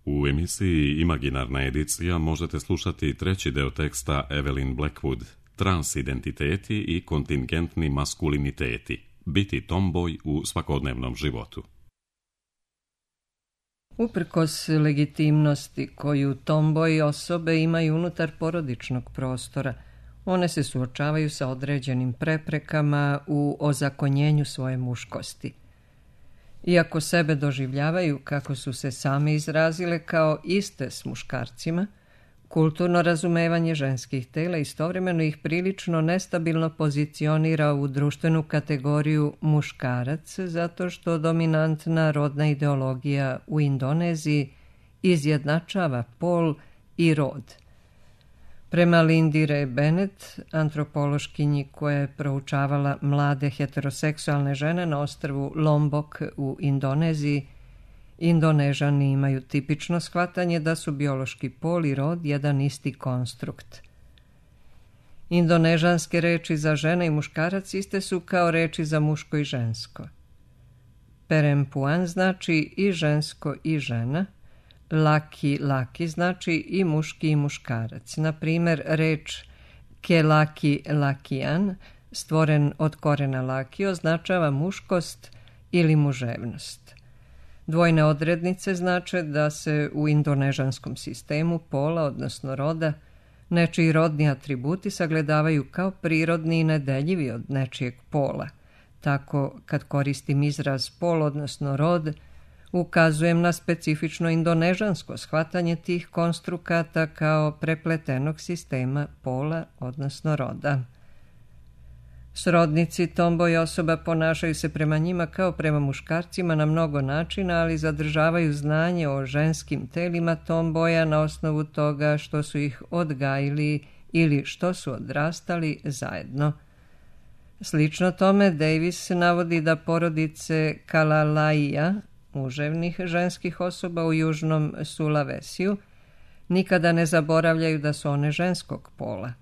U emisiji Imaginarna edicija možete slušati treći deo teksta Evelyn Blackwood, Transidentiteti i kontingentni maskuliniteti, biti tomboj u svakodnevnom životu. Uprkos legitimnosti koju tomboji osobe imaju unutar porodičnog prostora, one se suočavaju sa određenim preprekama u ozakonjenju svoje muškosti. Iako sebe doživljavaju, kako su se same izrazile, kao iste s muškarcima, kulturno razumevanje ženskih tela istovremeno ih prilično nestabilno pozicionira u društvenu kategoriju muškarac, zato što dominantna rodna ideologija u Indoneziji izjednačava pol i rod. Prema Lindy Ray Bennett, antropološkinji koja je proučavala mlade heteroseksualne žene na ostrvu Lombok u Indoneziji, Indonežani imaju tipično shvatanje da su biološki pol i rod jedan isti konstrukt. Indonežanske reči za žena i muškarac iste su kao reči za muško i žensko. Perempuan znači i žensko i žena, laki znači i muški i muškarac. Na primjer, reč lakian, stvoren od korena laki, označava muškost ili muževnost. Dvojne odrednice znače da se u indonežanskom sistemu pola, odnosno roda, nečiji rodni atributi sagledavaju kao prirodni i nedeljivi od nečijeg pola. Tako, kad koristim izraz pol, odnosno rod, ukazujem na specifično indonežansko shvatanje tih konstrukata kao prepletenog sistema pola, odnosno roda. Srodnici tomboj osoba ponašaju se prema njima kao prema muškarcima na mnogo načina, ali zadržavaju znanje o ženskim telima tomboja na osnovu toga što su ih odgajili ili što su odrastali zajedno. Slično tome, Davis navodi da porodice Kalalaija, muževnih ženskih osoba u južnom Sulawesiju, nikada ne zaboravljaju da su one ženskog pola.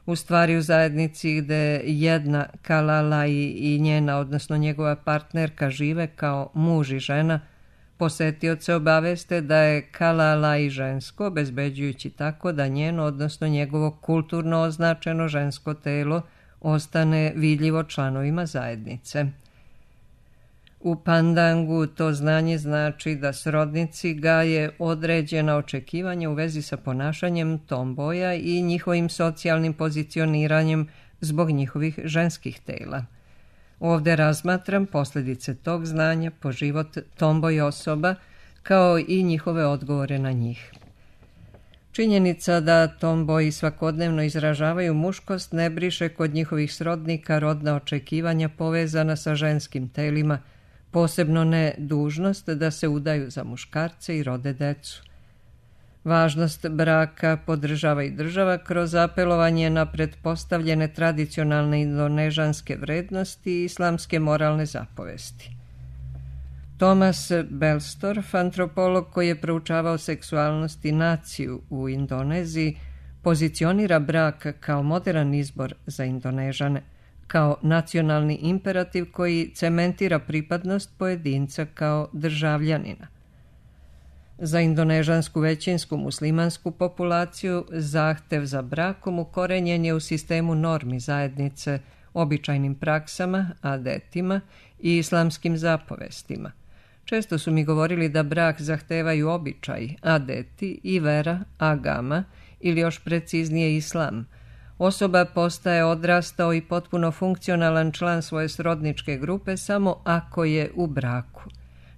U stvari, u zajednici gde jedna Kalalai i njena, odnosno njegova partnerka, žive kao muž i žena, posetioce obaveste da je Kalalai žensko, obezbeđujući tako da njeno, odnosno njegovo kulturno označeno žensko telo ostane vidljivo članovima zajednice. U Pandangu to znanje znači da srodnici gaje određena očekivanja u vezi sa ponašanjem tomboja i njihovim socijalnim pozicioniranjem zbog njihovih ženskih tela. Ovdje razmatram posljedice tog znanja po život tomboj osoba kao i njihove odgovore na njih. Činjenica da tomboji svakodnevno izražavaju muškost ne briše kod njihovih srodnika rodna očekivanja povezana sa ženskim telima, posebno ne dužnost da se udaju za muškarce i rode decu. Važnost braka podržava i država kroz apelovanje na pretpostavljene tradicionalne indonežanske vrednosti i islamske moralne zapovesti. Thomas Belstorff, antropolog koji je proučavao seksualnost i naciju u Indoneziji, pozicionira brak kao moderan izbor za Indonežane, kao nacionalni imperativ koji cementira pripadnost pojedinca kao državljanina. Za indonežansku većinsku muslimansku populaciju zahtev za brakom ukorenjen je u sistemu normi zajednice, običajnim praksama, adetima i islamskim zapovestima. Često su mi govorili da brak zahtevaju običaj, adeti i vera, agama, ili još preciznije islam. Osoba postaje odrastao i potpuno funkcionalan član svoje srodničke grupe samo ako je u braku.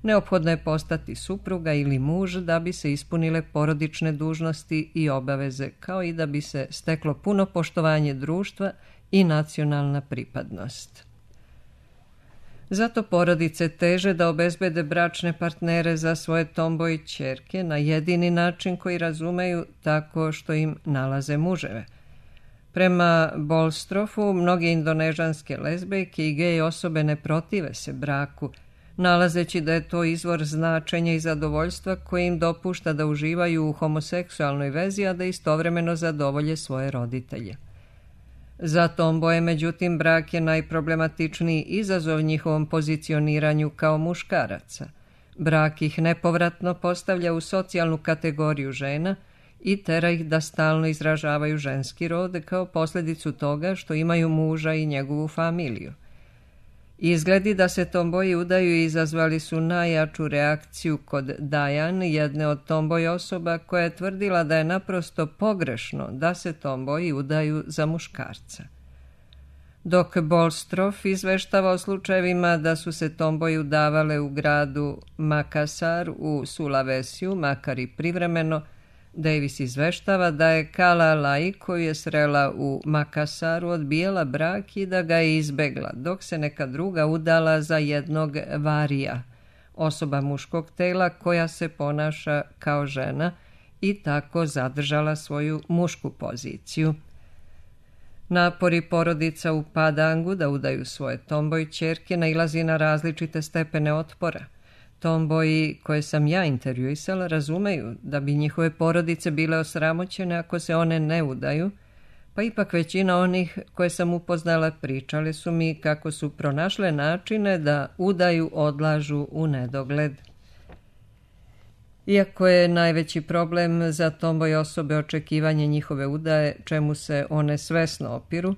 Neophodno je postati supruga ili muž da bi se ispunile porodične dužnosti i obaveze, kao i da bi se steklo puno poštovanje društva i nacionalna pripadnost. Zato porodice teže da obezbede bračne partnere za svoje tomboj ćerke na jedini način koji razumeju, tako što im nalaze muževe. Prema Bolstrofu, mnoge indonežanske lezbejke i gej osobe ne protive se braku, nalazeći da je to izvor značenja i zadovoljstva koji im dopušta da uživaju u homoseksualnoj vezi, a da istovremeno zadovolje svoje roditelje. Za tomboje, međutim, brak je najproblematičniji izazov njihovom pozicioniranju kao muškaraca. Brak ih nepovratno postavlja u socijalnu kategoriju žena i tera ih da stalno izražavaju ženski rod kao posljedicu toga što imaju muža i njegovu familiju. Izgledi da se tomboji udaju izazvali su najjaču reakciju kod Diane, jedne od tomboj osoba koja je tvrdila da je naprosto pogrešno da se tomboji udaju za muškarca. Dok Bolstroff izveštava o slučajevima da su se tomboji udavale u gradu Makassar u Sulawesiju, makar i privremeno, Davis izveštava da je Kala Lai, koju je srela u Makassaru, odbijala brak i da ga je izbegla, dok se neka druga udala za jednog varija, osoba muškog tela koja se ponaša kao žena i tako zadržala svoju mušku poziciju. Napori porodica u Padangu da udaju svoje tomboj ćerke nailazi na različite stepene otpora. Tomboji koje sam ja intervjuisala razumeju da bi njihove porodice bile osramoćene ako se one ne udaju, pa ipak većina onih koje sam upoznala pričale su mi kako su pronašle načine da udaju odlažu u nedogled. Iako je najveći problem za tomboj osobe očekivanje njihove udaje, čemu se one svesno opiru,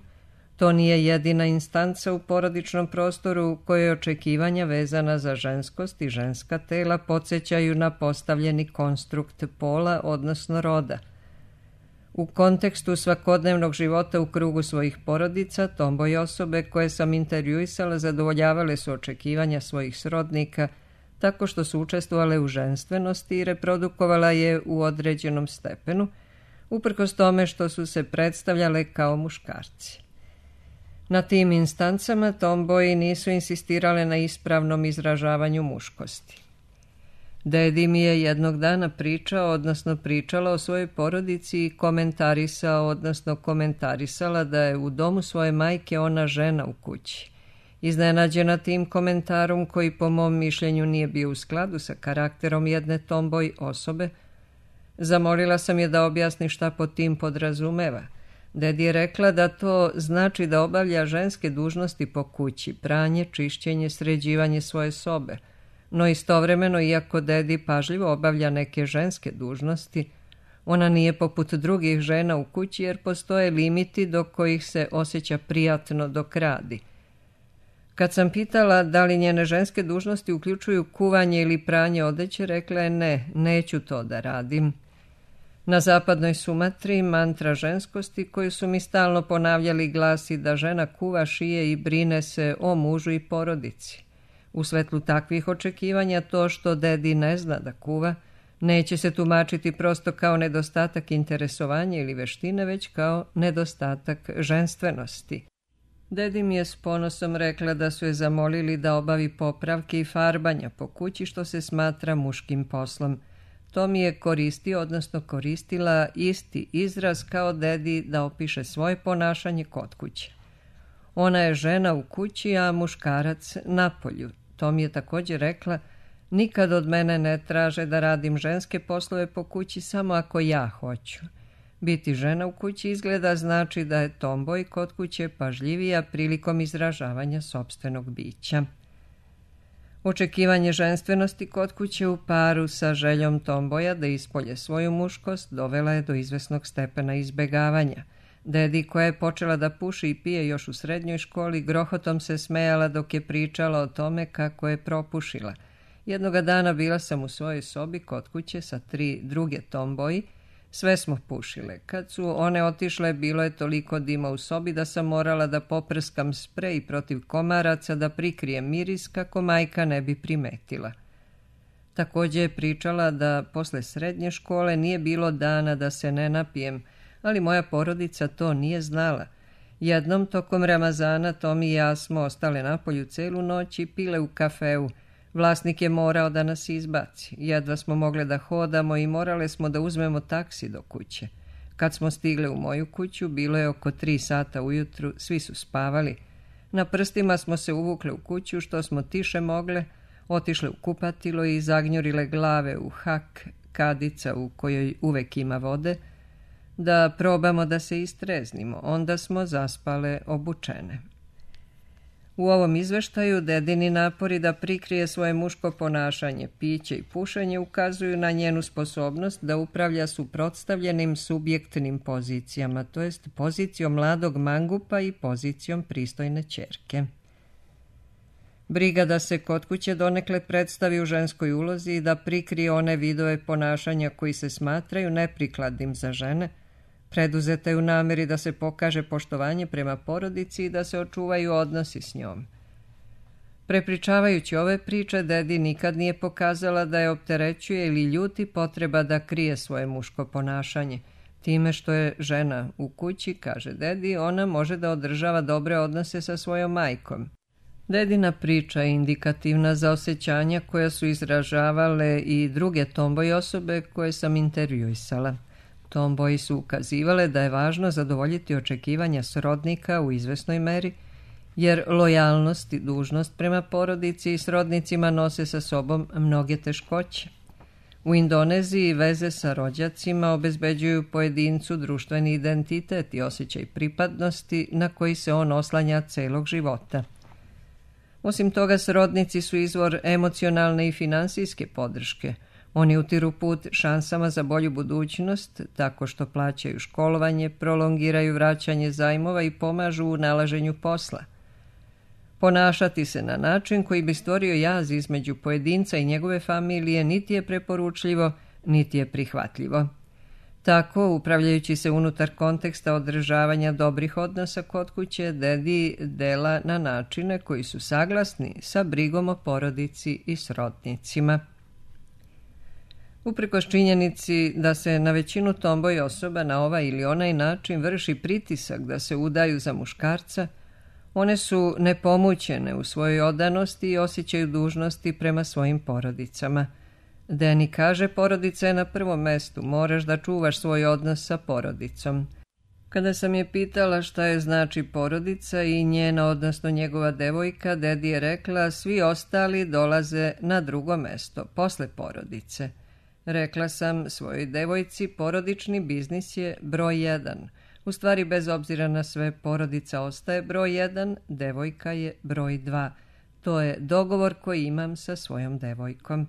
to nije jedina instanca u porodičnom prostoru u kojoj očekivanja vezana za ženskost i ženska tela podsjećaju na postavljeni konstrukt pola, odnosno roda. U kontekstu svakodnevnog života u krugu svojih porodica, tomboj osobe koje sam intervjuisala zadovoljavale su očekivanja svojih srodnika tako što su učestvovale u ženstvenosti i reprodukovala je u određenom stepenu, uprkos tome što su se predstavljale kao muškarci. Na tim instancama tomboji nisu insistirale na ispravnom izražavanju muškosti. Dedi mi je jednog dana pričala o svojoj porodici i komentarisala da je u domu svoje majke ona žena u kući. Iznenađena tim komentarom, koji po mom mišljenju nije bio u skladu sa karakterom jedne tomboj osobe, zamolila sam je da objasni šta pod tim podrazumeva. Dedi je rekla da to znači da obavlja ženske dužnosti po kući, pranje, čišćenje, sređivanje svoje sobe. No istovremeno, iako dedi pažljivo obavlja neke ženske dužnosti, ona nije poput drugih žena u kući jer postoje limiti do kojih se osjeća prijatno dok radi. Kad sam pitala da li njene ženske dužnosti uključuju kuvanje ili pranje odeće, rekla je ne, neću to da radim. Na zapadnoj Sumatri mantra ženskosti koju su mi stalno ponavljali glasi da žena kuva, šije i brine se o mužu i porodici. U svetlu takvih očekivanja to što dedi ne zna da kuva neće se tumačiti prosto kao nedostatak interesovanja ili veštine, već kao nedostatak ženstvenosti. Dedi mi je s ponosom rekla da su je zamolili da obavi popravke i farbanja po kući, što se smatra muškim poslom. To mi je koristila isti izraz kao dedi da opiše svoje ponašanje kod kuće. Ona je žena u kući, a muškarac napolju. To mi je također rekla, nikad od mene ne traže da radim ženske poslove po kući samo ako ja hoću. Biti žena u kući izgleda znači da je tomboj kod kuće pažljivija prilikom izražavanja sopstvenog bića. Očekivanje ženstvenosti kod kuće u paru sa željom tomboja da ispolje svoju muškost dovela je do izvesnog stepena izbegavanja. Dedi, koja je počela da puši i pije još u srednjoj školi, grohotom se smejala dok je pričala o tome kako je propušila. Jednoga dana bila sam u svojoj sobi kod kuće sa 3 druge tomboji. Sve smo pušile. Kad su one otišle, bilo je toliko dima u sobi da sam morala da poprskam sprej protiv komaraca da prikrijem miris kako majka ne bi primetila. Također je pričala da posle srednje škole nije bilo dana da se ne napijem, ali moja porodica to nije znala. Jednom tokom Ramazana Tomi i ja smo ostale napolju celu noć i pile u kafeu. Vlasnik je morao da nas izbaci. Jedva smo mogle da hodamo i morale smo da uzmemo taksi do kuće. Kad smo stigle u moju kuću, bilo je oko 3 sata ujutru, svi su spavali. Na prstima smo se uvukle u kuću što smo tiše mogle, otišle u kupatilo i zagnjurile glave u hak kadica u kojoj uvek ima vode, da probamo da se istreznimo. Onda smo zaspale obučene. U ovom izveštaju dedini napori da prikrije svoje muško ponašanje, piće i pušenje ukazuju na njenu sposobnost da upravlja suprotstavljenim subjektnim pozicijama, to jest pozicijom mladog mangupa i pozicijom pristojne ćerke. Briga da se kod kuće donekle predstavi u ženskoj ulozi i da prikrije one vidove ponašanja koji se smatraju neprikladnim za žene, preduzeta je u namjeri da se pokaže poštovanje prema porodici i da se očuvaju odnosi s njom. Prepričavajući ove priče, dedi nikad nije pokazala da je opterećuje ili ljuti potreba da krije svoje muško ponašanje. Time što je žena u kući, kaže dedi, ona može da održava dobre odnose sa svojom majkom. Dedina priča je indikativna za osjećanja koja su izražavale i druge tomboy osobe koje sam intervjuisala. Tomboyi su ukazivale da je važno zadovoljiti očekivanja srodnika u izvesnoj meri, jer lojalnost i dužnost prema porodici i srodnicima nose sa sobom mnoge teškoće. U Indoneziji veze sa rođacima obezbeđuju pojedincu društveni identitet i osjećaj pripadnosti na koji se on oslanja celog života. Osim toga, srodnici su izvor emocionalne i finansijske podrške. Oni utiru put šansama za bolju budućnost tako što plaćaju školovanje, prolongiraju vraćanje zajmova i pomažu u nalaženju posla. Ponašati se na način koji bi stvorio jaz između pojedinca i njegove familije niti je preporučljivo, niti je prihvatljivo. Tako, upravljajući se unutar konteksta održavanja dobrih odnosa kod kuće, dedi dela na načine koji su saglasni sa brigom o porodici i srodnicima. Uprkos činjenici da se na većinu tomboy osoba na ovaj ili onaj način vrši pritisak da se udaju za muškarca, one su nepomućene u svojoj odanosti i osjećaju dužnosti prema svojim porodicama. Deni kaže, porodica je na prvom mestu, moraš da čuvaš svoj odnos sa porodicom. Kada sam je pitala šta je znači porodica i njena, odnosno njegova devojka, dedi je rekla, svi ostali dolaze na drugo mesto, posle porodice. Rekla sam svojoj devojci, porodični biznis je broj 1. U stvari, bez obzira na sve, porodica ostaje broj 1, devojka je broj 2. To je dogovor koji imam sa svojom devojkom.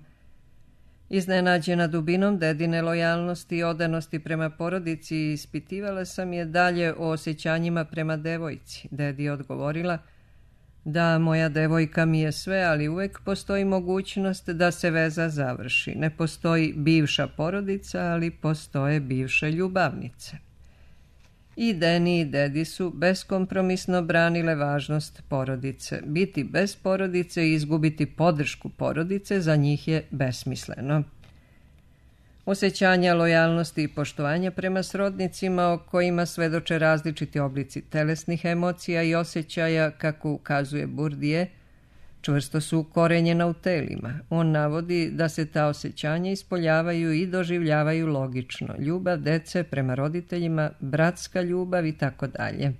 Iznenađena dubinom dedine lojalnosti i odanosti prema porodici, ispitivala sam je dalje o osjećanjima prema devojci. Dedi je odgovorila, da, moja devojka mi je sve, ali uvek postoji mogućnost da se veza završi. Ne postoji bivša porodica, ali postoje bivše ljubavnice. I Deni i dedi su beskompromisno branile važnost porodice. Biti bez porodice i izgubiti podršku porodice za njih je besmisleno. Osjećanja lojalnosti i poštovanja prema srodnicima o kojima svedoče različiti oblici telesnih emocija i osjećaja, kako ukazuje Bourdieu, čvrsto su ukorenjena u telima. On navodi da se ta osjećanja ispoljavaju i doživljavaju logično. Ljubav dece prema roditeljima, bratska ljubav i tako dalje.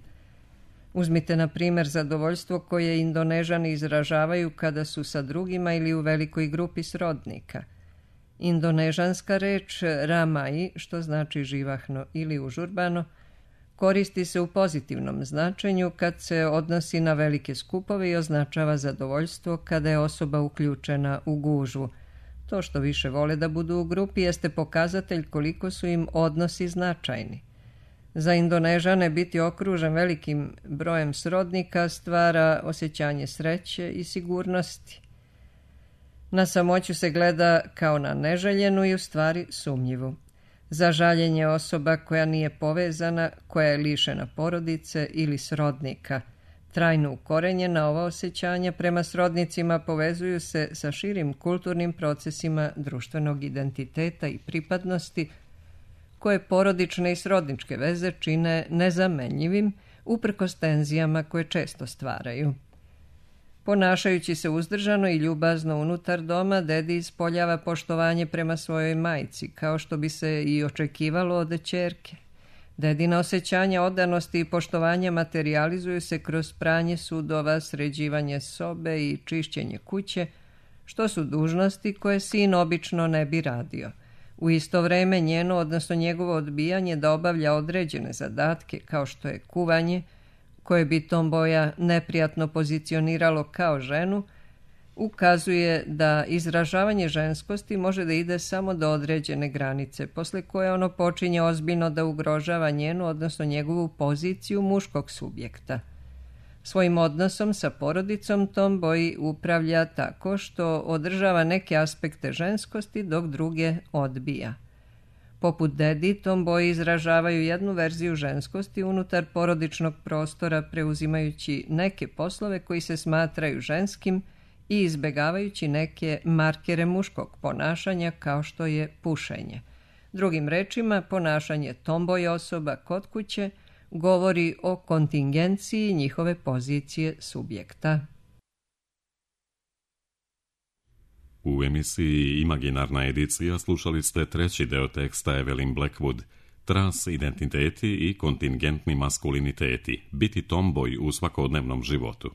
Uzmite na primjer zadovoljstvo koje Indonežani izražavaju kada su sa drugima ili u velikoj grupi srodnika. Indonežanska reč ramai, što znači živahno ili užurbano, koristi se u pozitivnom značenju kad se odnosi na velike skupove i označava zadovoljstvo kada je osoba uključena u gužvu. To što više vole da budu u grupi jeste pokazatelj koliko su im odnosi značajni. Za Indonežane biti okružen velikim brojem srodnika stvara osjećanje sreće i sigurnosti. Na samoću se gleda kao na neželjenu i u stvari sumnjivu. Za žaljenje osoba koja nije povezana, koja je lišena porodice ili srodnika. Trajno ukorenjena ova osjećanja prema srodnicima povezuju se sa širim kulturnim procesima društvenog identiteta i pripadnosti, koje porodične i srodničke veze čine nezamenjivim uprkos tenzijama koje često stvaraju. Ponašajući se uzdržano i ljubazno unutar doma, dedi ispoljava poštovanje prema svojoj majci, kao što bi se i očekivalo od ćerke. Dedina osjećanja odanosti i poštovanja materijalizuju se kroz pranje sudova, sređivanje sobe i čišćenje kuće, što su dužnosti koje sin obično ne bi radio. U isto vreme njeno, odnosno njegovo odbijanje da obavlja određene zadatke, kao što je kuvanje, koje bi tomboja neprijatno pozicioniralo kao ženu, ukazuje da izražavanje ženskosti može da ide samo do određene granice, posle koje ono počinje ozbiljno da ugrožava njenu, odnosno njegovu poziciju muškog subjekta. Svojim odnosom sa porodicom tomboy upravlja tako što održava neke aspekte ženskosti dok druge odbija. Poput dedi, tomboji izražavaju jednu verziju ženskosti unutar porodičnog prostora, preuzimajući neke poslove koji se smatraju ženskim i izbegavajući neke markere muškog ponašanja kao što je pušenje. Drugim rečima, ponašanje tomboy osoba kod kuće govori o kontingenciji njihove pozicije subjekta. U emisiji Imaginarna edicija slušali ste treći deo teksta Evelyn Blackwood, Transidentiteti i kontingentni maskuliniteti, biti tomboy u svakodnevnom životu.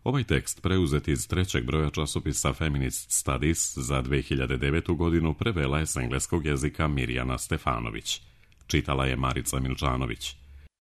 Ovaj tekst, preuzet iz trećeg broja časopisa Feminist Studies za 2009. godinu, prevela je s engleskog jezika Mirjana Stefanović. Čitala je Marica Milčanović.